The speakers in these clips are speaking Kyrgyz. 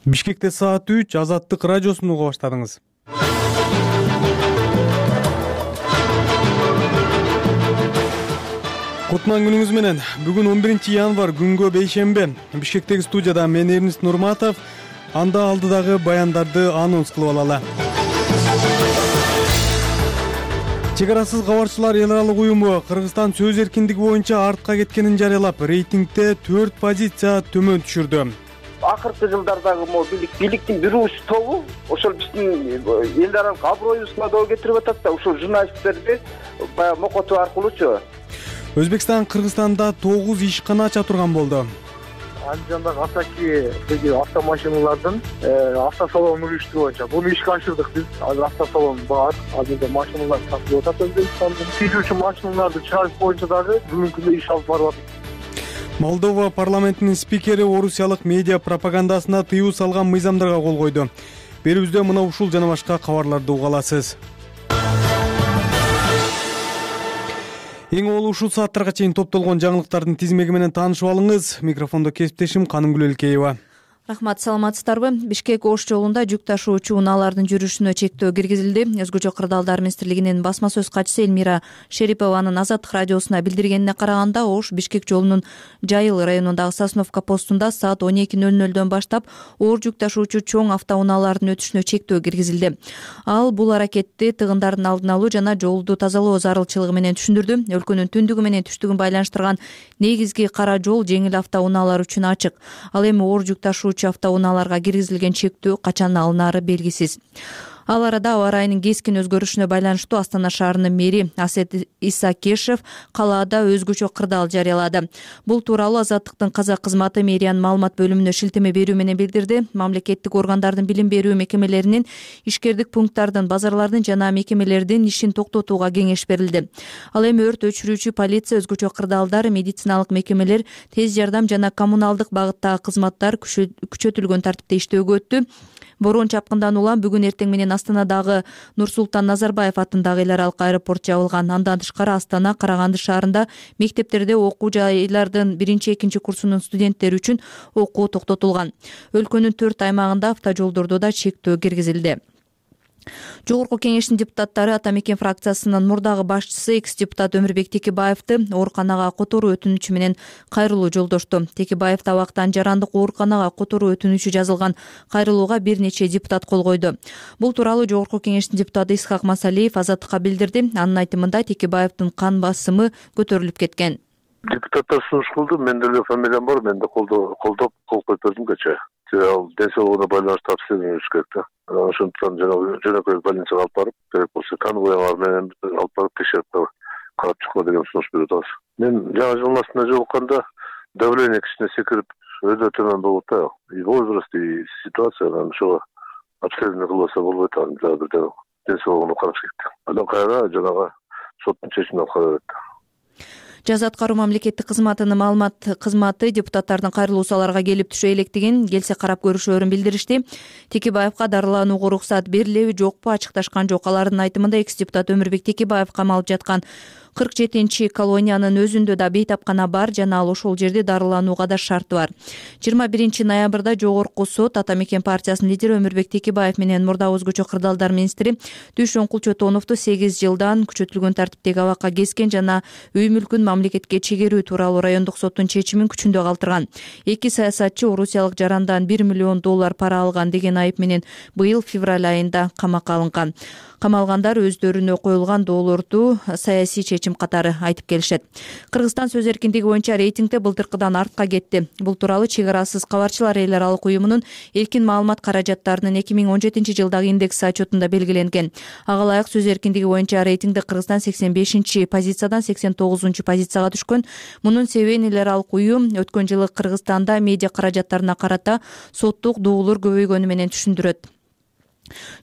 Бишкекте саат 3 Азаттык радиосун уга баштадыңыз. Кутман күнүңүз менен. Бүгүн 11 январь күнгө бейшембе. Бишкектеги студияда мен Эрнис Нурматов. Анда алдыдагы баяндарды анонс кылып алалы. Чек арасыз кабарчылар эл аралык уюму Кыргызстан сөз эркиндиги боюнча артка кеткенин жарыялап, рейтингде 4 позиция төмөн түшүрдү. Акыркы жылдардагы бийликтин бир уч тобу ошол биздин эл аралык аброюбузга доо кетирип атат да, ушул журналисттерди баягы мокотуу аркылуучу. Өзбекстан Кыргызстанда 9 ишкана ача турган болду. Андижандагы Асакидеги автомашиналардын автосалонун уюштуруу боюнча буну ишке ашырдык биз. Азыр автосалон бар. Азырда машиналар сатылып атат Өзбекстанда. Тийүүчү машиналарды чыгарыш боюнча дагы бүгүнкү күндө иш алып барып атат. Молдова парламентинин спикери орусиялык медиа пропагандасына тыюу салган мыйзамдарга кол койду. Берүүбүздө мына ушул жана башка кабарларды уга аласыз. Эң олуу ушул сааттарга чейин топтолгон жаңылыктардын тизмеги менен таанышып алыңыз. Микрофондо кесиптешим Канымгүл Элкеева. Рахмат, саламатсыздарбы? Бишкек Ош жолунда жүк ташуучу унаалардын жүрүшүнө чектөө киргизилди. Өзгөчө кырдаалдар министрлигинин басма сөз катчысы Элмира Шерипованын Азаттык радиосуна билдиргенине караганда, Ош Бишкек жолунун Жайыл районундагы Сосновка постунда саат 12:00 баштап оор жүк ташуучу чоң автоунаалардын өтүшүнө чектөө киргизилди. Ал бул аракетти тыгындардын алдын алуу жана жолду тазалоо зарылчылыгы менен түшүндүрдү. Өлкөнүн түндүгү менен түштүгүн байланыштырган негизги кара жол жеңил автоунаалар үчүн ачык. Ал эми оор жүк ташуучу автоунааларга киргизилген чектөө качан алынары белгисиз. Ал арада аба ырайынын кескин өзгөрүшүнө байланыштуу Астана шаарынын мэри Асет Исакешев калаада өзгөчө кырдаал жарыялады. Бул тууралуу Азаттыктын казак кызматы мэриянын маалымат бөлүмүнө шилтеме берүү менен билдирди. Мамлекеттик органдардын билим берүү мекемелеринин, ишкердик пункттардын, базарлардын жана мекемелердин ишин токтотууга кеңеш берилди. Ал эми өрт өчүрүүчү полиция, өзгөчө кырдаалдар, медициналык мекемелер, тез жардам жана коммуналдык багыттагы кызматтар күчөтүлгөн тартипте иштөөгө өттү. Борон чапкындан улам бүгүн эртең менен Астанадагы Нурсултан Назарбаев атындагы эл аралык аэропорт жабылган. Андан тышкары Астана, Караганды шаарында мектептерде окуу жайлардын 1-2 курсунун студенттери үчүн окуу токтотулган. Өлкөнүн 4 аймагында автожолдордо да чектөө киргизилди. Жогорку кеңештин депутаттары Ата Мекен фракциясынын мурдагы башчысы экс-депутат Өмүрбек Текебаевди ооруканага которуу өтүнүчү менен кайрылуу жолдошту. Текебаев табактан жарандык ооруканага которуу өтүнүчү жазылган кайрылууга бир нече депутат кол койду. Бул тууралуу Жогорку кеңештин депутаты Исхак Масалиев Азаттыкка билдирди. Анын айтымында Текебаевдин кан басымы көтөрүлүп кеткен. Депутаттар сунуш кылды, менде эле фамилиям бар, мен да колдоп кол коюп бердим кечээ. Ал ден соолугуна байланыштуу обследование өтүш керек да. Ошондуктан жөнөкөй больницага алып барып, керек болсо конвоялар менен алып барып текшерип карап чыккыла деген сунуш берип атабыз. Мен жаңы жылдын астына жолукканда давление кичине секирип, өтө төмөн болуп да. И возраст, и ситуация, ошого обследование кылбаса болбойт, аны бирден ден соолугуна караш керек. Андан кайра жанагы соттун чечимин алып кара берет. Жаза аткаруу мамлекеттик кызматынын маалымат кызматы депутаттардын кайрылуусу аларга келип түшө электигин, келсе карап көрүшөөрүн билдиришти. Текебаевга дарыланууга уруксат берилеби, жокпу ачыкташкан жок. Алардын айтымында экс-депутат Өмүрбек Текебаев камалып жаткан 47 колониянын өзүндө да бейтапкана бар жана ал ошол жерде дарыланууга да шарты бар. 21 ноябрда Жогорку сот Ата Мекен партиясынын лидери Өмүрбек Текебаев менен мурдагы өзгөчө кырдаалдар министри Дүйшөн Кулчотоновду 8 жылдан күчөтүлгөн тартиптеги абакка кескен жана үй мүлкүн мамлекетке чегерүү тууралуу райондук соттун чечимин күчүндө калтырган. Эки саясатчы орусиялык жарандан $1 миллион пара алган деген айып менен быйыл февраль айында камакка алынган. Камалгандар өздөрүнө коюлган доолорду саясий чечим катары айтып келишет. Кыргызстан сөз эркиндиги боюнча рейтингде былтыркыдан артка кетти. Бул тууралуу Чек арасыз кабарчылар эл аралык уюмунун эркин маалымат каражаттарынын 2017 жылдагы индекси отчетунда белгиленген. Ага ылайык сөз эркиндиги боюнча рейтингде Кыргызстан 85 позициядан 89 позицияга түшкөн. Мунун себебин эл аралык уюм өткөн жылы Кыргызстанда медиа каражаттарына карата соттук дуулар көбөйгөнү менен түшүндүрөт.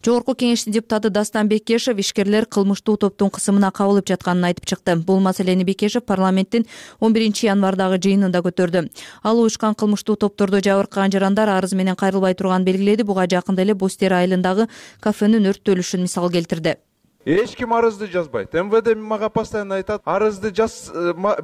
Жогорку кеңештин депутаты Дастан Бекешев ишкерлер кылмыштуу топтун кысымына кабылып жатканын айтып чыкты. Бул маселени Бекешев парламенттин 11 январдагы жыйынында көтөрдү. Ал уюшкан кылмыштуу топтордо жабыркаган жарандар арыз менен кайрылбай турганын белгиледи. Буга жакында эле Бостер айылындагы кафенин өрттөлүшүн мисал келтирди. Эч ким арызды жазбайт. МВД мага постоянно айтат, арызды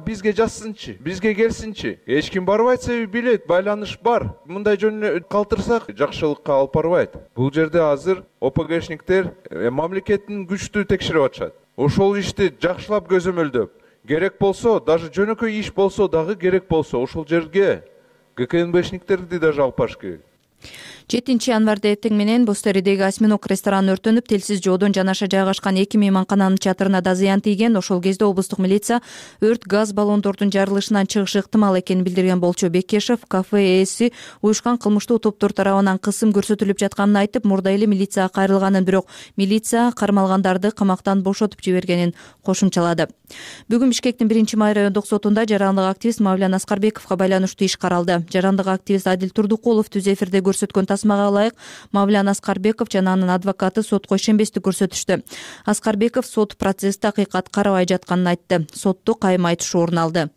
бизге жазсынчы, бизге келсинчи. Эч ким барбайт, себеби билет, байланыш бар. Мындай жөн калтырсак жакшылыкка алып барбайт. Бул жерде азыр ОПГшниктер мамлекеттин күчтүү текшерип атышат. Ошол ишти жакшылап көзөмөлдөп, керек болсо, даже жөнөкөй иш болсо дагы керек болсо, ошол жерге ГКНБшниктерди даже алып барыш керек. 7 январда эртең менен Бостеридеги Осьминог рестораны өртөнүп, телсиз жоодон жанаша жайгашкан 2 мейманкананын чатырына да зыян тийген. Ошол кезде облустук милиция өрт газ баллондордун жарылышынан чыгышы ыктымал экенин билдирген болчу Бекешев кафе ээси уюшкан кылмыштуу топтор тарабынан кысым көрсөтүлүп жатканын айтып, мурда эле милицияга кайрылганын, бирок милиция кармалгандарды камактан бошотуп жибергенин кошумчалады. Бүгүн Бишкектин 1-май райондук сотунда жарандык активист Мавлян Аскарбековго байланыштуу иш каралды. Жарандык активист Адил Турдукулов түз эфирде көрсөткөн тасмага ылайык Мавлян Аскарбеков жана анын адвокаты сотко ишенбестик көрсөтүштү. Аскарбеков сот процессти акыйкат карабай жатканын айтты. Сотто кайым айтыш орун алды.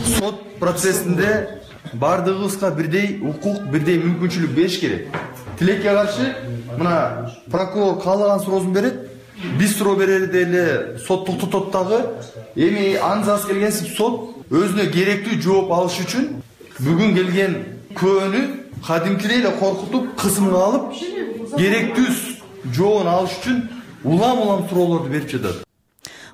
Сот процессинде бардыгыбызга бирдей укук, бирдей мүмкүнчүлүк бериш керек. Тилекке каршы мына прокурор каалаган суроосун берет. Биз суроо берерде эле сот токтотот дагы. Эми аңзасы келген сот өзүнө керектүү жооп алыш үчүн бүгүн келген күбөнү кадимкидей эле коркутуп, кысымга алып, керектүү жообун алыш үчүн улам суроолорду берип жатат.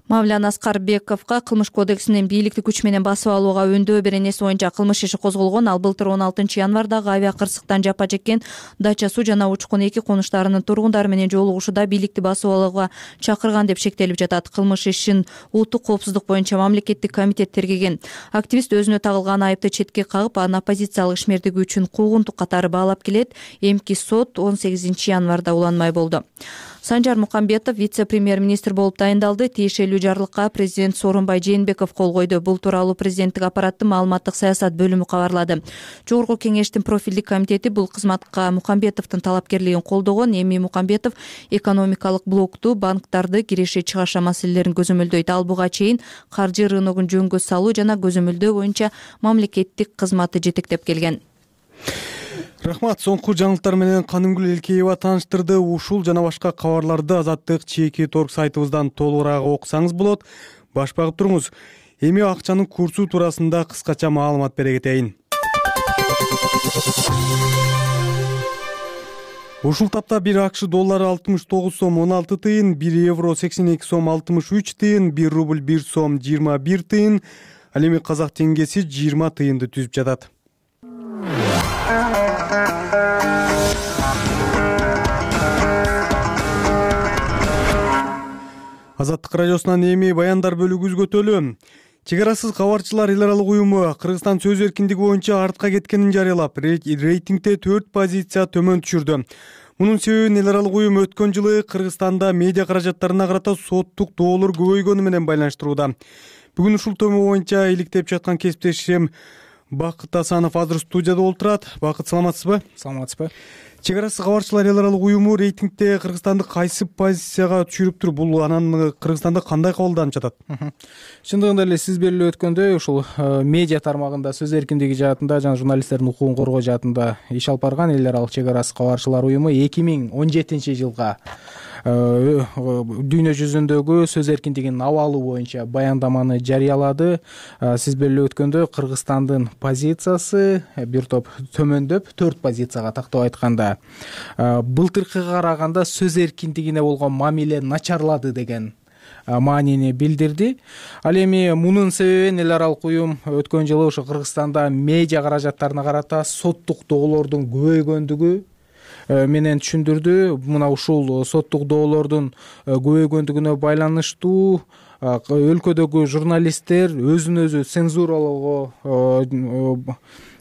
Мавлян Аскарбековго кылмыш кодексинин бийликти күч менен басып алууга өндөө беренеси боюнча кылмыш иши козголгон. Ал былтыр 16 январдагы авиа кырсыктан жапа чеккен Дача Суу жана Учкун 2 конуштарынын тургундары менен жолугушууда бийликти басып алууга чакырган деп шектелип жатат. Кылмыш ишин улуттук коопсуздук боюнча мамлекеттик комитет тергеген. Активист өзүнө тагылган айыпты четке кагып, анын оппозициялык ишмердиги үчүн куугунтук катары баалап келет. Эмки сот 18 январда уланмай болду. Санжар Мукамбетов вице-премьер-министр болуп дайындалды. Тиешелүү жарлыкка президент Сооронбай Жээнбеков кол койду. Бул тууралуу президенттик аппараттын маалыматтык саясат бөлүмү кабарлады. Жогорку кеңештин профилдик комитети бул кызматка Мукамбетовдун талапкерлигин колдогон. Эми Мукамбетов экономикалык блокту, банктарды, киреше-чыгаша маселелерин көзөмөлдөйт. Ал буга чейин каржы рыногун жөнгө салуу жана көзөмөлдөө боюнча мамлекеттик кызматты жетектеп келген. Рахмат. Соңку жаңылыктар менен Канымгүл Элкеева тааныштырды. Ушул жана башка кабарларды Азаттык чеки торг сайтыбыздан толугураак окусаңыз болот. Баш багып туруңуз. Эми акчанын курсу туурасында кыскача маалымат бере кетейин. Ушул тапта 1 АКШ доллары 69 сом 16 тыйын, 1 евро 82 сом 63 тыйын, 1 рубль 1 сом 21 тыйын, ал эми казак теңгеси 20 тыйынды түзүп жатат. Азаттык радиосунан эми баяндар бөлүгү үзгөтөлү. Чек арасыз кабарчылар эл аралык уюму Кыргызстан сөз эркиндиги боюнча артка кеткенин жарыялап, рейтингде 4 позиция төмөн түшүрдү. Мунун себебин эл аралык уюм өткөн жылы Кыргызстанда медиа каражаттарына карата соттук доолор көбөйгөнү менен байланыштырууда. Бүгүн ушул тема боюнча иликтеп жаткан кесиптешим Бакыт Асанов азыр студияда олтурат. Бакыт, саламатсызбы? Саламатсызбы. Чек арасы кабарчылар эл аралык уюму рейтингде Кыргызстанды кайсы позицияга түшүрүптүр? Бул анан Кыргызстанда кандай кабылданып жатат? Чындыгында эле сиз белгилеп өткөндөй, ушул медиа тармагында сөз эркиндиги жаатында жана журналисттердин укугун коргоо жаатында иш алып барган эл аралык чек арасы кабарчылар уюму 2017 жылга дүйнө жүзүндөгү сөз эркиндигинин абалы боюнча баяндаманы жарыялады. Сиз белгилеп өткөндөй, Кыргызстандын позициясы бир топ төмөндөп 4 позицияга тактап айтканда былтыркыга караганда сөз эркиндигине болгон мамиле начарлады деген маанини билдирди. Ал эми мунун себебин эл аралык уюм өткөн жылы ошо Кыргызстанда медиа каражаттарына карата соттук доолордун көбөйгөндүгү менен түшүндүрдү. Мына ушул соттук доолордун көбөйгөндүгүнө байланыштуу өлкөдөгү журналисттер өзүн өзү цензуралоого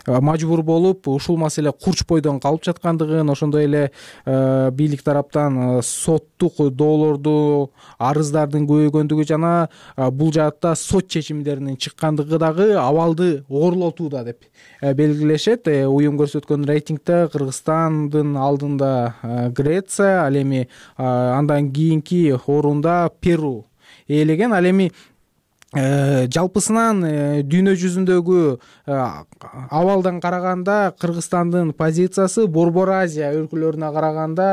мажбур болуп, ушул маселе курч бойдон калып жаткандыгын, ошондой эле бийлик тараптан соттук доолорду, арыздардын көбөйгөндүгү жана бул жаатта сот чечимдеринин чыккандыгы дагы абалды оорлотууда деп белгилешет. Уюм көрсөткөн рейтингде Кыргызстандын алдында Греция, ал эми андан кийинки орунда Перу ээлеген. Ал эми жалпысынан дүйнө жүзүндөгү абалдан караганда Кыргызстандын позициясы Борбор Азия өлкөлөрүнө караганда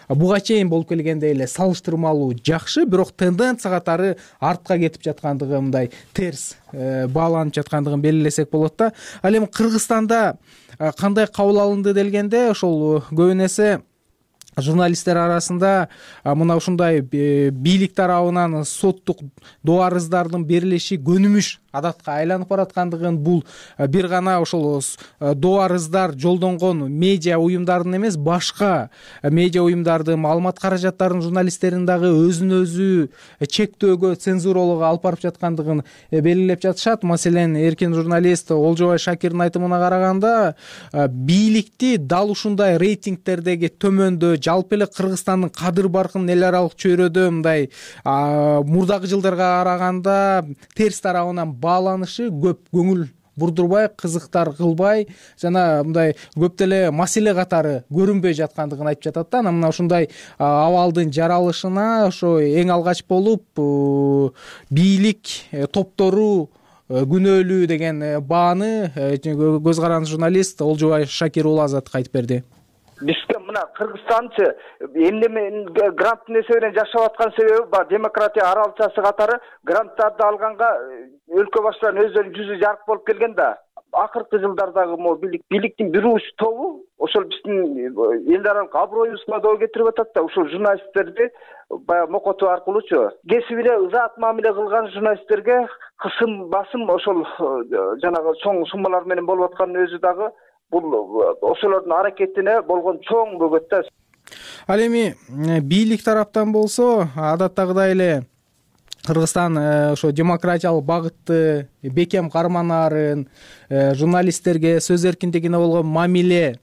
буга чейин болуп келгендей эле салыштырмалуу жакшы, бирок тенденция катары артка кетип жаткандыгы, мындай терс бааланып жаткандыгын белгилесек болот да. Ал эми Кыргызстанда кандай кабыл алынды делгенде, ошол көбүн эсе журналисттер арасында мына ушундай бийлик тарабынан соттук доо арыздардын берилиши көнүмүш адатка айланып бараткандыгын, бул бир гана ошол доо арыздар жолдонгон медиа уюмдардын эмес, башка медиа уюмдардын маалымат каражаттарынын журналисттерин дагы өзүн өзү чектөөгө, цензуралоого алып барып жаткандыгын белгилеп жатышат. Маселен, эркин журналист Олжобай Шакирдин айтымына караганда, бийликти дал ушундай рейтингтердеги төмөндө, жалпы эле Кыргызстандын кадыр баркын эл аралык чөйрөдө мындай мурдагы жылдарга караганда терс тарабынан бааланышы көп көңүл бурдурбай, кызыктар кылбай жана мындай көп деле маселе катары көрүнбөй жаткандыгын айтып жатат да. Анан мына ушундай абалдын жаралышына ошо эң алгач болуп бийлик топтору күнөөлүү деген бааны көз каранды журналист Олжобай Шакир уулу Азаттыкка айтып берди. Бизге мына Кыргызстанчы эмне гранттын эсебинен жашап аткан себеби баягы демократия аралчасы катары гранттарды алганга өлкө башчыларынын өздөрүнүн жүзү жарык болуп келген да. Акыркы жылдардагы могу бийликтин бир уч тобу ошол биздин эл аралык аброюбузга доо кетирип атат да. Ушул журналисттерди баягы мокотуу аркылуучу кесибине ызаат мамиле кылган журналисттерге кысым, басым ошол жанагы чоң суммалар менен болуп атканын өзү дагы бул ошолордун аракетине болгон чоң бөгөт да. Ал эми бийлик тараптан болсо, адаттагыдай эле Кыргызстан ошо демократиялык багытты бекем карманаарын, журналисттерге сөз эркиндигине болгон мамиле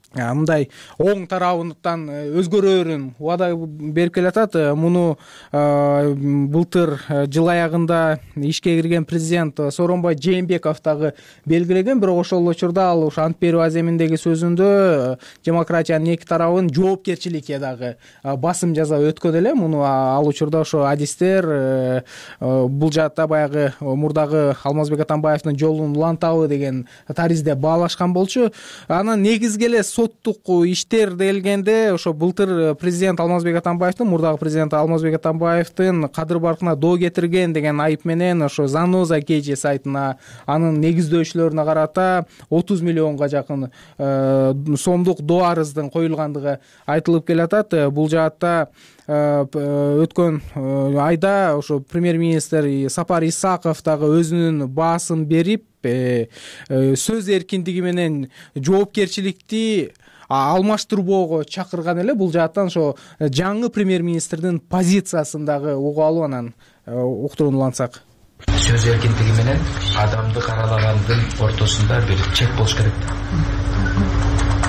мындай оң тарабынан өзгөрөөрүн убада берип келатат. Муну былтыр жыл аягында ишке кирген президент Сооронбай Жээнбеков дагы белгилеген, бирок ошол учурда ал ошо ант берүү аземиндеги сөзүндө демократиянын эки тарабын жоопкерчиликке дагы басым жасап өткөн эле. Муну ал учурда ошо адистер бул жаатта баягы мурдагы Алмазбек Атамбаевдин жолун улантабы деген таризде баалашкан болчу. Анан негизги эле соттук иштер делгенде ошо былтыр президент Алмазбек Атамбаевдин, мурдагы президент Алмазбек Атамбаевдин кадыр баркына доо кетирген деген айып менен ошо Заноза KG сайтына, анын негиздөөчүлөрүнө карата 30 миллионго жакын сомдук доо арыздын коюлгандыгы айтылып келатат. Бул жаатта өткөн айда ошо премьер-министр Сапар Исаков дагы өзүнүн баасын берип, сөз эркиндиги менен жоопкерчиликти алмаштырбоого чакырган эле. Бул жааттан ошо жаңы премьер-министрдин позициясын дагы угуп алып, анан уктуруун улантсак. Сөз эркиндиги менен адамды каралагандын ортосунда бир чек болуш керек.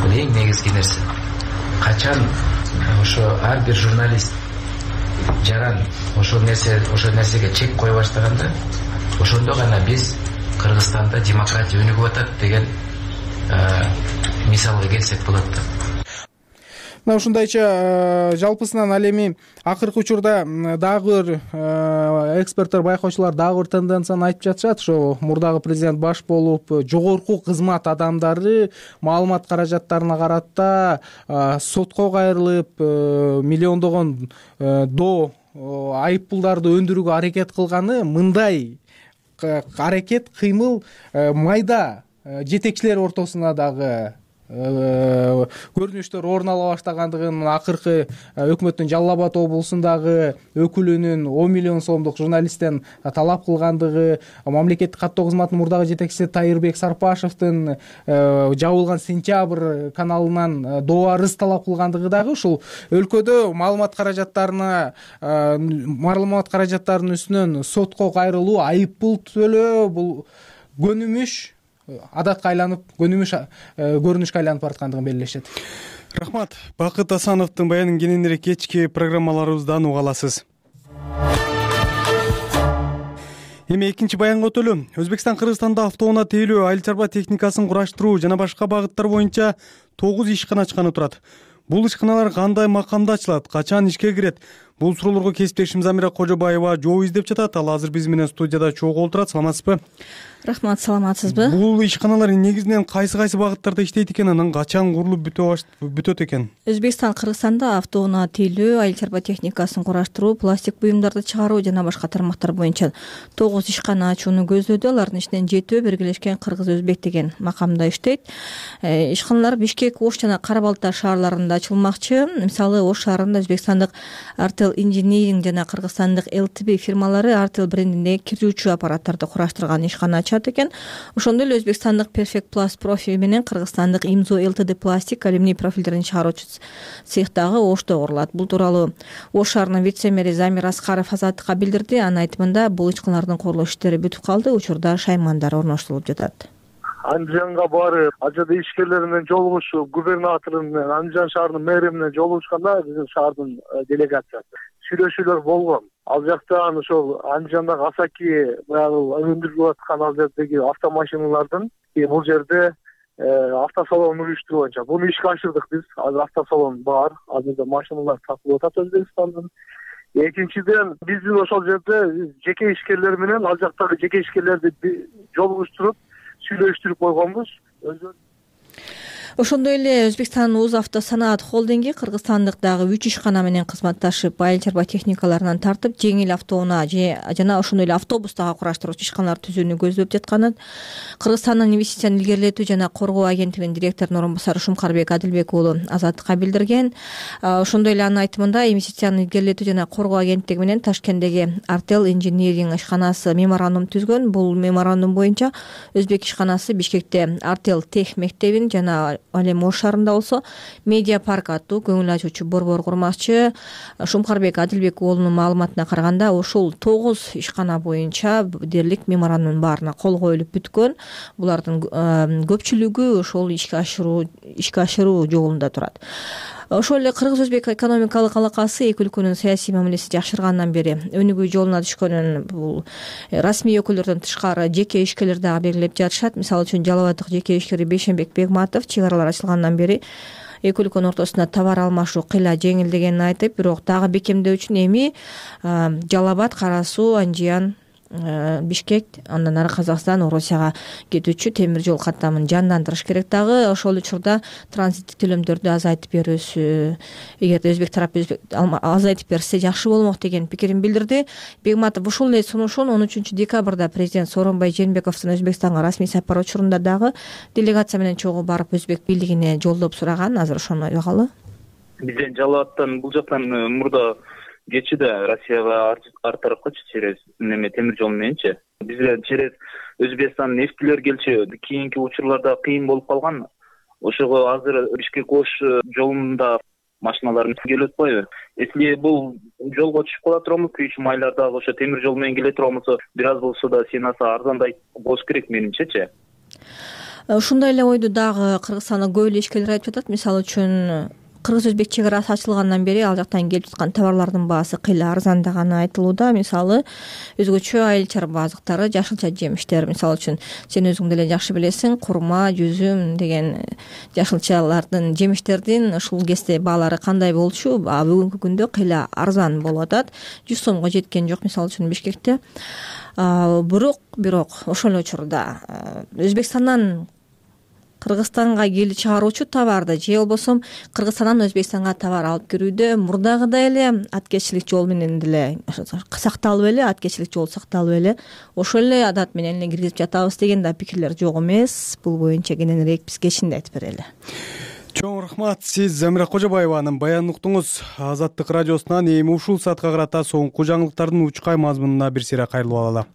Бул эң негизги нерсе. Качан ошо ар бир журналист жаран ошол нерсеге чек кое баштаганда, ошондо гана биз Кыргызстанда демократия өнүгүп атат деген мисалга келсек болот да. Мына ушундайча жалпысынан ал эми акыркы учурда дагы бир эксперттер, байкоочулар дагы бир тенденцияны айтып жатышат. Ошо мурдагы президент баш болуп жогорку кызмат адамдары маалымат каражаттарына карата сотко кайрылып, миллиондогон доо айып пулдарды өндүрүүгө аракет кылганы, мындай аракет, кыймыл майда жетекчилер ортосуна дагы көрүнүштөр орун ала баштагандыгын, акыркы өкмөттүн Жалал Абад облусундагы өкүлүнүн 10 миллион сомдук журналисттен талап кылгандыгы, мамлекеттик каттоо кызматынын мурдагы жетекчиси Тайырбек Сарпашевдин жабылган Сентябрь каналынан доо арыз талап кылгандыгы дагы ушул өлкөдө маалымат каражаттарынын үстүнөн сотко кайрылуу, айып пул төлөө, бул көнүмүш адатка айланып, көрүнүшкө айланып бараткандыгын белгилешет. Рахмат. Бакыт Асановдун баянын кененирээк кечки программаларыбыздан уга аласыз. Эми экинчи баянга өтөлү. Өзбекстан Кыргызстанда автоунаа тейлөө, айыл чарба техникасын кураштыруу жана башка багыттар боюнча 9 ишкана ачканы турат. Бул ишканалар кандай макамда ачылат, качан ишке кирет? Бул суроолорго кесиптешим Замира Кожобаева жооп издеп жатат. Ал азыр биз менен студияда чогуу отурат. Саламатсызбы? Рахмат, саламатсызбы? Бул ишканалар негизинен кайсы багыттарда иштейт экен, анан качан курулуп бүтөт экен? Өзбекстан, Кыргызстанда автоунаа тейлөө, айыл чарба техникасын кураштыруу, пластик буюмдарды чыгаруу жана башка тармактар боюнча 9 ишкана ачууну көздөдү. Алардын ичинен 7 Биргелешкен Кыргыз-Өзбек деген макамда иштейт. Ишканалар Бишкек, Ош жана Кара-Балта шаарларында ачылмакчы. Мисалы, Ош шаарында өзбекстандык Artel Engineering жана кыргызстандык LTB фирмалары Artel брендиндеги кирүүчү аппараттарды кураштырган ишкана экен. Ошондой эле өзбекстандык Perfect Plus Profi менен кыргызстандык Imzo LTD пластик алюминий профилдерин чыгаруучу цех дагы Ошто курулат. Бул тууралуу Ош шаарынын вице-мэри Замир Аскаров Азаттыкка билдирди. Анын айтымында бул ишканалардын курулуш иштери бүтүп калды, учурда шаймандар орноштурулуп жатат. Андижанга барып, ал жерде ишкерлер менен жолугушуп, губернатору менен, Андижан шаарынын мэри менен жолугушканда биздин шаардын делегациясы сүйлөшүүлөр болгон. Ал жактан ошол Андижандагы Асаки баягы өндүрүлүп аткан ал жердеги автомашиналардын бул жерде автосалон уюштуруу боюнча буну ишке ашырдык биз. Азыр автосалон бар, азыр машиналар сатылып атат Өзбекстандын. Экинчиден биздин ошол жерде жеке ишкерлер менен ал жактагы жеке ишкерлерди жолугуштуруп сүйлөштүрүп койгонбуз. Ошондой эле Өзбекстан Уз автосанаат холдинги кыргызстандык дагы 3 ишкана менен кызматташып, айыл чарба техникаларынан тартып, жеңил автоунаа жана ошондой эле автобус дагы кураштыруучу ишканалар түзүүнү көздөп жатканын Кыргызстандын инвестицияны илгерилетүү жана коргоо агенттигинин директорунун орун басары Шумкарбек Адилбек уулу Азаттыкка билдирген. Ошондой эле анын айтымында инвестицияны илгерилетүү жана коргоо агенттиги менен Ташкенттеги Artel Engineering ишканасы меморандум түзгөн. Бул меморандум боюнча Өзбек ишканасы Бишкекте Artel Тех мектебин жана ал эми Ош шаарында болсо Медиа парк аттуу көңүл ачуучу борбор курмакчы. Шумкарбек Адилбек уулунун маалыматына караганда, ушул 9 ишкана боюнча дээрлик меморандумдун баарына кол коюлуп бүткөн. Булардын көпчүлүгү ошол ишке ашыруу жолунда турат. Ошол эле Кыргыз-Өзбек экономикалык алакасы эки өлкөнүн саясий мамилеси жакшыргандан бери өнүгүү жолуна түшкөнүн бул расмий өкүлдөрдөн тышкары жеке ишкерлер дагы белгилеп жатышат. Мисалы үчүн Жалал Абаддык жеке ишкери Бейшенбек Бегматов чек аралар ачылгандан бери эки өлкөнүн ортосунда товар алмашуу кыйла жеңилдегенин айтып, бирок дагы бекемдөө үчүн эми Жалал Абад, Кара Суу, Анжиян, Бишкек, андан ары Казакстан, Орусияга кетүүчү темир жол каттамын жандандырыш керек. Дагы ошол учурда транзиттик төлөмдөрдү азайтып берүүсү, эгерде өзбек тарапы азайтып берсе жакшы болмок деген пикирин билдирди. Бегматов ушул эле сунушун 13 декабрда президент Сооронбай Жээнбековдун Өзбекстанга расмий сапар учурунда дагы делегация менен чогуу барып өзбек бийлигине жолдоп сураган. Азыр ошону айгалы. Бизден Жалал Абадтан бул жактан мурда кетчү да Россияга ар тарапкачы через темир жол мененчи. Бизге через Өзбекстан нефтилер келчү. Кийинки учурларда кыйын болуп калган. Ошого азыр Бишкек-Ош жолунда машиналар келип атпайбы? Если бул жолго түшүп кала турабыз, 3 айларда ошо темир жол менен келе турабыз, бир аз болсо да сенаса арзандай болуш керек менимчечи. Ушундай эле ойду дагы Кыргызстанда көп эле ишкерлер айтып жатат. Мисалы үчүн Кыргыз-Өзбек чек арасы ачылгандан бери ал жактан келип жаткан товарлардын баасы кыйла арзандаганы айтылууда. Мисалы, өзгөчө айыл чарба азыктары, жашылча жемиштер, мисалы үчүн сен өзүң деле жакшы билесиң, курма, жүзүм деген жашылчалардын, жемиштердин ушул кезде баалары кандай болчу? Бүгүнкү күндө кыйла арзан болуп атат. 100 сомго жеткен жок, мисалы үчүн Бишкекте. Бирок ошол учурда Өзбекстандан Кыргызстанга келип чыгаруучу товарды же болбосо Кыргызстандан Өзбекстанга товар алып кирүүдө мурдагыдай эле аткечилик жол менен деле сакталып эле, аткечилик жол сакталып эле, ошол эле адат менен эле киргизип жатабыз деген да пикирлер жок эмес. Бул боюнча кененирээк биз кечинде айтып берели. Чоң рахмат. Сиз Замира Кожобаеванын баянын уктуңуз. Азаттык радиосунан эми ушул саатка карата соңку жаңылыктардын учкай мазмунуна бир сыйра кайрылып алалы.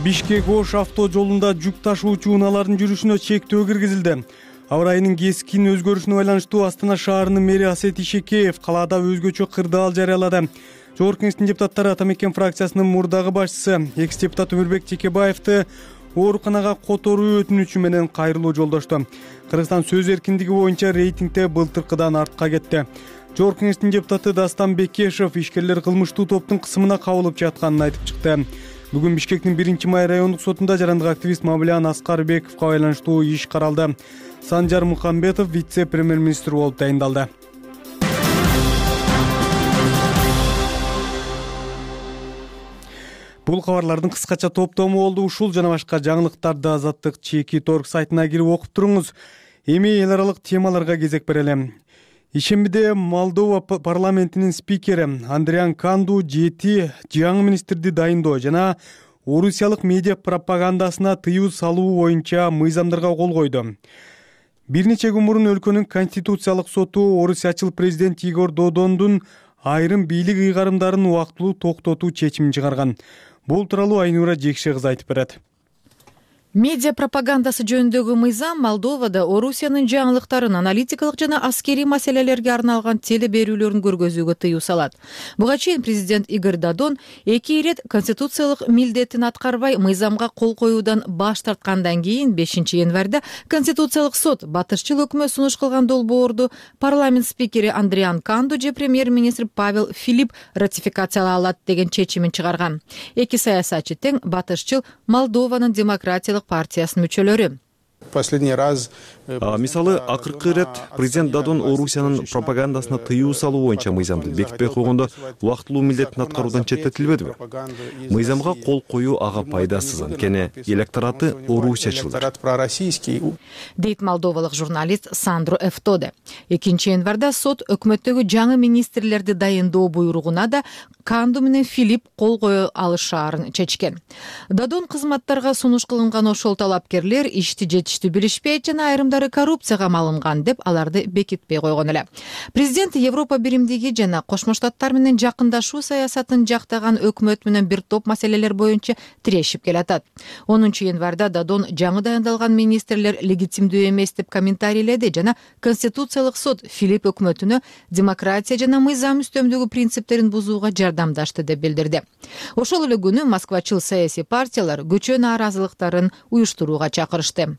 Бишкек-Ош авто жолунда жүк ташуучу унаалардын жүрүшүнө чектөө киргизилди. Аба ырайынын кескин өзгөрүшүнө байланыштуу Астана шаарынын мэри Асет Ишекеев калаада өзгөчө кырдаал жарыялады. Жогорку Кеңештин депутаттары Атамекен фракциясынын мурдагы башчысы экс-депутат Өмүрбек Текебаевди ооруканага которуу өтүнүчү менен кайрылуу жолдошту. Кыргызстан сөз эркиндиги боюнча рейтингде былтыркыдан артка кетти. Жогорку Кеңештин депутаты Дастан Бекешев ишкерлер кылмыштуу топтун кысымына кабылып жатканын айтып чыкты. Бүгүн Бишкектин 1-май райондук сотунда жарандык активист Мамилан Аскарбековго байланыштуу иш каралды. Санжар Мухамбетов вице-премьер-министр болуп тайындалды. Бул кабарлардын кыскача топтому болду. Ушул жана башка жаңылыктарды Азаттык Чеки.org сайтына кирип окуп туруңуз. Эми эл аралык темаларга кезек берели. Ишембиде Молдова парламентинин спикери Андриан Канду 7 жаңы министрди дайындоо жана орусиялык медиа пропагандасына тыюу салуу боюнча мыйзамдарга кол койду. Бир нече күн мурун өлкөнүн конституциялык соту орусиячыл президент Игорь Додондун айрым бийлик ыйгарымдарын убактылуу токтотуу чечимин чыгарган. Бул тууралуу Айнура Жекше кызы айтып берет. Медиа пропагандасы жөнүндөгү мыйзам Молдовада Орусиянын жаңылыктарын, аналитикалык жана аскерий маселелерге арналган теле берүүлөрүн көргөзүүгө тыюу салат. Буга чейин президент Игорь Додон 2 ирет конституциялык милдетин аткарбай мыйзамга кол коюудан баш тарткандан кийин 5 январда Конституциялык сот батышчыл өкмөт сунуш кылган долбоорду парламент спикери Андриан Канду же премьер-министр Павел Филипп ратификациялай алат деген чечимин чыгарган. Эки саясатчы тең батышчыл Молдованын демократиялык партиясынын мүчөлөрү. Мисалы, акыркы ирет президент Додон Орусиянын пропагандасына тыюу салуу боюнча мыйзамды бекитпей койгондо убактылуу милдетин аткаруудан четтетилбедиби? Мыйзамга кол коюу ага пайдасыз, анткени электораты орусиячылдар. Дейт молдовалык журналист Сандро Эфтоде. 2 январда сот өкмөттөгү жаңы министрлерди дайындоо буйругуна да Канду менен Филипп кол кое алышаарын чечкен. Додон кызматтарга сунуш кылынган ошол талапкерлер ишти жетиштүү билишпейт жана айрымдары коррупцияга малынган деп аларды бекитпей койгон эле. Президент Европа биримдиги жана Кошмо Штаттар менен жакындашуу саясатын жактаган өкмөт менен бир топ маселелер боюнча тирешип келатат. 10 январда Додон жаңы дайындалган министрлер легитимдүү эмес деп комментарийледи жана Конституциялык сот Филипп өкмөтүнө демократия жана мыйзам үстөмдүгү принциптерин бузууга жардамдашты деп билдирди. Ошол эле күнү Москвачыл саясий партиялар көчө нааразылыктарын уюштурууга чакырышты.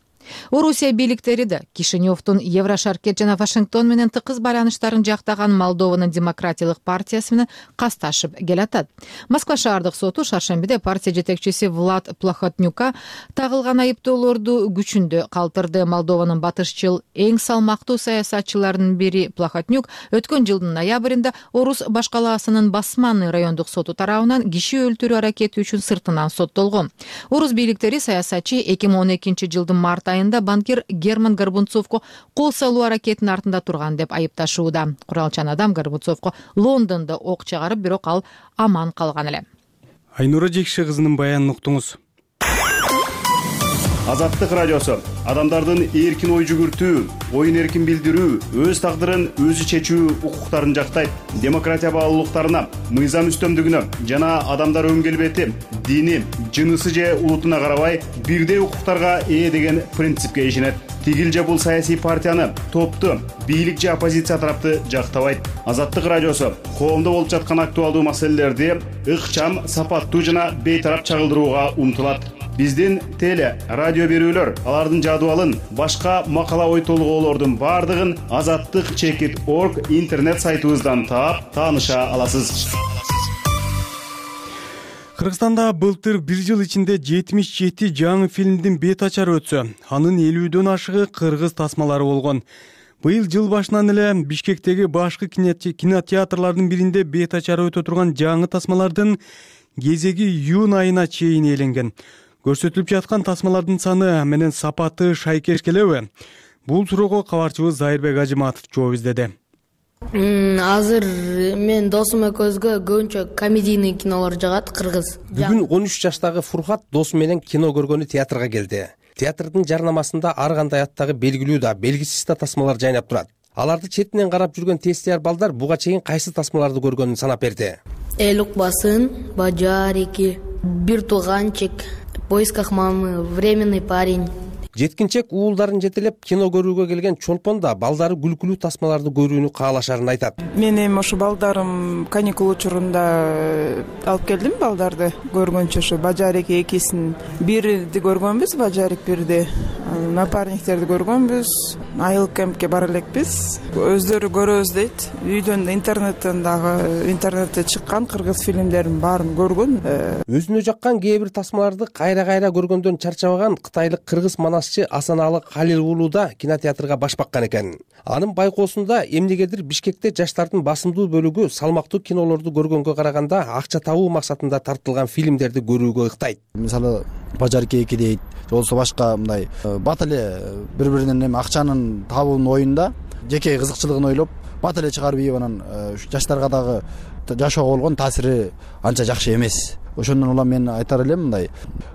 Орусия бийликтери да Кишиневдун Еврошаркет жана Вашингтон менен тыкыз байланыштарын жактаган Молдованын демократиялык партиясы менен касташып келатат. Москва шаардык соту шаршембиде партия жетекчиси Влад Плохотнюкка тагылган айыптоолорду күчүндө калтырды. Молдованын батышчыл эң салмактуу саясатчыларынын бири Плохотнюк өткөн жылдын ноябрында Орус башкалаасынын Басманный райондук соту тарабынан киши өлтүрүү аракети үчүн сыртынан соттолгон. Орус бийликтери саясатчы 2012 жылдын март айында банкир Герман Горбунцовго кол салуу аракетинин артында турган деп айыпташууда. Куралчан адам Горбунцовго Лондондо ок чыгарып, бирок ал аман калган эле. Айнура Жекше кызынын баянын уктуңуз. Азаттык радиосу адамдардын эркин ой жүгүртүү, оюн эркин билдирүү, өз тагдырын өзү чечүү укуктарын жактайт. Демократия баалуулуктарына, мыйзам үстөмдүгүнө жана адамдар өң келбети, дини, жынысы же улутуна карабай бирдей укуктарга ээ деген принципке ишенет. Тигил же бул саясий партияны, топту, бийлик же оппозиция тарапты жактабайт. Азаттык радиосу коомдо болуп жаткан актуалдуу маселелерди ыкчам, сапаттуу жана бейтарап чагылдырууга умтулат. Биздин теле, радио берүүлөр, алардын жадыбалын, башка макала ой толгоолордун бардыгын Азаттык Чекит.org интернет сайтыбыздан таап, тааныша аласыз. Кыргызстанда былтыр 1 жыл ичинде 77 жаңы фильмдин бет ачары өтсө, анын 50дөн ашыгы кыргыз тасмалары болгон. Быйыл жыл башынан эле Бишкектеги башкы кинотеатрлардын биринде бет ачары өтө турган жаңы тасмалардын кезеги июнь айына чейин ээленген. Көрсөтүлүп жаткан тасмалардын саны менен сапаты шайкеш келеби? Бул суроого кабарчыбыз Зайырбек Ажыматов жооп издеди. Азыр мен досум экөөбүзгө көбүнчө комедийный кинолор жагат, кыргыз. Бүгүн 13 жаштагы Фуркат досу менен кино көргөнү театрга келди. Театрдын жарнамасында ар кандай аттагы белгилүү да, белгисиз да тасмалар жайнап турат. Аларды четинен карап жүргөн тестияр балдар буга чейин кайсы тасмаларды көргөнүн санап берди. Эл укпасын, Бажар 2, Бир тууганчик, В поисках мамы, Временный парень. жеткинчек уулдарын жетелеп кино көрүүгө келген чолпон да балдары күлкүлүү тасмаларды көрүүнү каалашарын айтат. Мен эми ошо балдарым каникул учурунда алып келдим балдарды көргөнчө, ошо Бажарик экисин, бирди көргөнбүз, Бажарик бирди, напарниктерди көргөнбүз, айыл кемпке бара элекпиз. Өздөрү көрөбүз дейт. Үйдөн интернетте чыккан кыргыз фильмдерин баарын көргөн. Өзүнө жаккан кээ бир тасмаларды кайра көргөндөн чарчабаган кытайлык кыргыз манасчы Асаналы Калил уулу да кинотеатрга баш баккан экен. Анын байкоосунда эмнегедир Бишкекте жаштардын басымдуу бөлүгү салмактуу кинолорду көргөнгө караганда акча табуу максатында тартылган фильмдерди көрүүгө ыктайт. Мисалы Бажарик 2 дейт, болсо башка мындай бат эле бири-биринен эми акчанын табуунун оюнда жеке кызыкчылыгын ойлоп бат эле чыгарып ийип анан жаштарга дагы жашоого болгон таасири анча жакшы эмес. Ошондон улам мен айтар элем мындай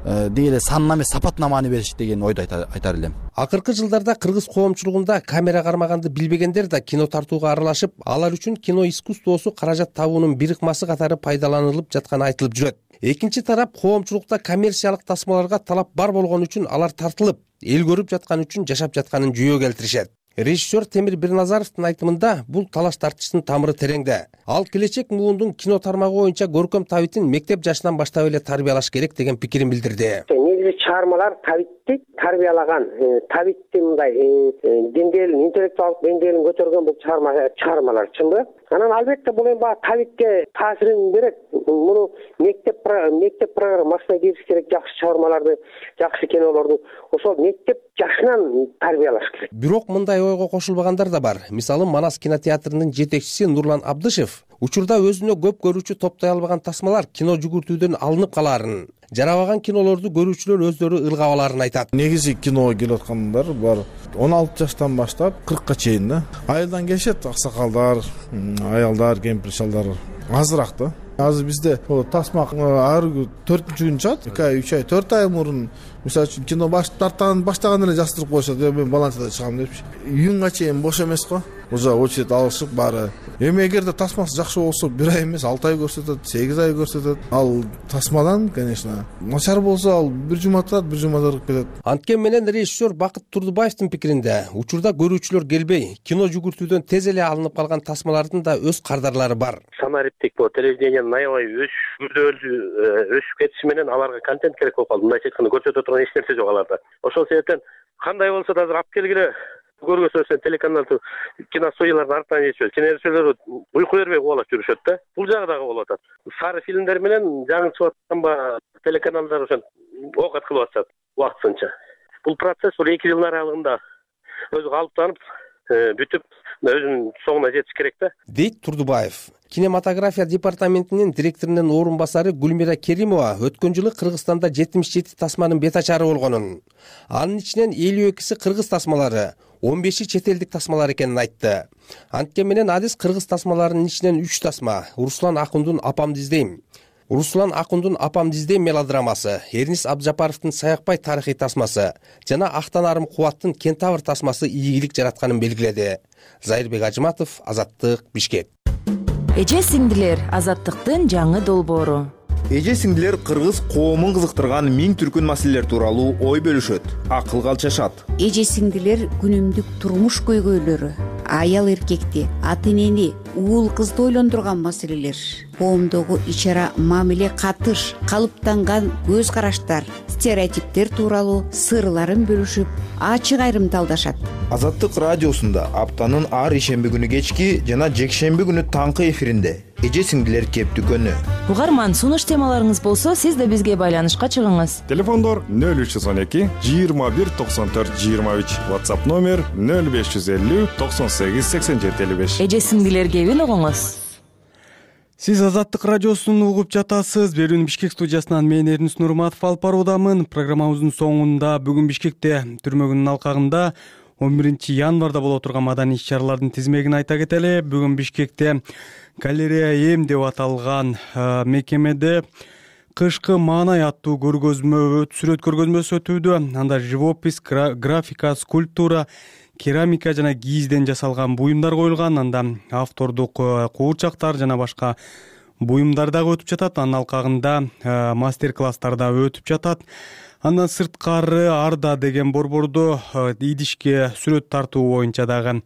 деги эле санына эмес сапатына маани бериш деген ойду айтар элем. Акыркы жылдарда кыргыз коомчулугунда камера кармаганды билбегендер да кино тартууга аралашып, алар үчүн кино искусствосу каражат табуунун бир ыкмасы катары пайдаланылып жатканы айтылып жүрөт. Экинчи тарап коомчулукта коммерциялык тасмаларга талап бар болгон үчүн алар тартылып, эл көрүп жаткан үчүн жашап жатканын жүйө келтиришет. Режиссер Темир Бирназаровдун айтымында бул талаш тартыштын тамыры тереңде. Ал келечек муундун кино тармагы боюнча көркөм табитин мектеп жашынан баштап эле тарбиялаш керек деген пикирин билдирди. Негизи чыгармалар табитти тарбиялаган, табитти мындай деңгээлин, интеллектуалдык деңгээлин көтөргөн бул чыгармалар, чынбы? Анан албетте бул эми табитке таасирин берет. Муну мектеп программасына киргизиш керек, жакшы чыгармаларды, жакшы кинолорду ошол мектеп жашынан тарбиялаш керек. Бирок мындай ойго кошулбагандар да бар. Мисалы Манас кинотеатрынын жетекчиси Нурлан Абдышев учурда өзүнө көп көрүүчү топтой албаган тасмалар кино жүгүртүүдөн алынып калаарын, жарабаган кинолорду көрүүчүлөр өздөрү ыргап алаарын айтат. Негизи киного келип аткандар бар 16 жаштан баштап 40ка чейин да. Айылдан келишет аксакалдар, аялдар, кемпир шалдар азыраак да. Азыр бизде тасма ар 4-күн чыгат, 2 ай, 3 ай, 4 ай мурун мисалы үчүн кино баштаган эле жаздырып коюшат. Мен баланчада чыгам депчи. Июнга чейин бош эмес го. Уже очередь алышып баары. Эми эгерде тасмасы жакшы болсо 1 ай эмес 6 ай көрсөтөт, 8 ай көрсөтөт. Ал тасмадан, конечно, начар болсо ал 1 жума турат, 1 жумада ыргып кетет. Анткени менен режиссер Бакыт Турдубаевдин пикиринде, учурда көрүүчүлөр келбей, кино жүгүртүүдөн тез эле алынып калган тасмалардын да өз кардарлары бар. Санариптик бул телевидениянын аябай өсүп кетиши менен аларга контент керек болуп калды. Мындайча айтканда көрсөтө турган эч нерсе жок аларда. Ошол себептен кандай болсо да азыр алып келгиле көргөзсө сен телеканалды киностудиялардын артынан ичип, кинорежиссерлер уйку бербей кубалап жүрүшөт да. Бул жагы дагы болуп атат. Сары фильмдер менен жаңы чыгып аткан телеканалдар ошон окат кылып атышат убактысынча. Бул процесс 2 жылдын аралыгында өзү калыптанып, бүтүп, өзүнүн соңуна жетиш керек да. Дейт Турдубаев. Кинематография департаментинин директорунун орун басары Гүлмира Керимова өткөн жылы Кыргызстанда 77 тасманын бет ачары болгонун, анын ичинен 52си кыргыз тасмалары, 15и чет элдик тасмалар экенин айтты. Анткени менен адис кыргыз тасмаларынын ичинен 3 тасма Руслан Акундун Апамды издейм мелодрамасы, Эрнис Абджапаровдун Саякбай тарыхый тасмасы жана Актанарым Кубаттын Кентавр тасмасы ийгилик жаратканын белгиледи. Зайырбек Ажыматов, Азаттык, Бишкек. Эже-сиңдилер, Азаттыктын жаңы долбоору. Эже-сиңдилер кыргыз коомун кызыктырган миң түркүн маселелер тууралуу ой бөлүшөт, акыл калчашат. Эже-сиңдилер күнүмдүк турмуш көйгөйлөрү, аял эркекти, ата-энени, уул кызды ойлондурган маселелер, коомдогу ич-ара мамиле катыш, калыптанган көз караштар, стереотиптер тууралуу сырларын бөлүшүп, ачык айрымталдашат. Азаттык радиосунда аптанын ар ишемби күнү кечки жана жекшемби күнү таңкы эфиринде эже-сиңдилер кептүкөнү. Угарман, сунуш темаларыңыз болсо, сиз да бизге байланышка чыгыңыз. Телефондор 0312 21 94 23, WhatsApp номер 0550 98 87 55. Эже-сиңдилер кебин угуңуз. Сиз Азаттык радиосун угуп жатасыз. Берүүнү Бишкек студиясынан мен Эрнис Нурматов алып баруудамын. Программабыздын соңунда бүгүн Бишкекте түрмө күнүнүн алкагында 11 январда боло турган маданий иш-чаралардын тизмегин айта кетели. Бүгүн Бишкекте Галерея М деп аталган мекемеде кышкы маанай аттуу сүрөт көргөзмөсү өтүүдө. Анда живопись, графика, скульптура, керамика жана кийизден жасалган буюмдар коюлган. Анда автордук куурчактар жана башка буюмдар дагы өтүп жатат. Анын алкагында мастер класстар да өтүп жатат. Андан сырткары Арда деген борбордо идишке сүрөт тартуу боюнча дагы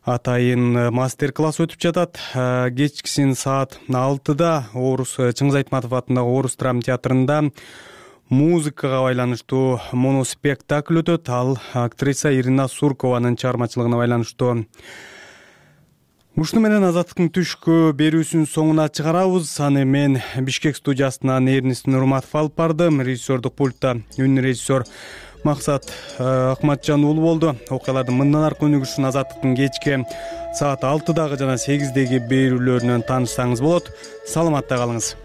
атайын мастер класс өтүп жатат. Кечкисин саат 6-да Чыңгыз Айтматов атындагы Орус драма театрында музыкага байланыштуу моноспектакль өтөт. Ал актриса Ирина Суркованын чыгармачылыгына байланыштуу. Ушуну менен Азаттыктын түшкү берүүсүнүн соңуна чыгарабыз. Аны мен Бишкек студиясынан Эрнис Нурматов алып бардым. Режиссердук пультта үн режиссер Максат Акматжан уулу болду. Окуялардын мындан аркы өнүгүшүн Азаттыктын кечки саат 6-дагы жана 8-деги берүүлөрүнөн таанышсаңыз болот. Саламатта калыңыз.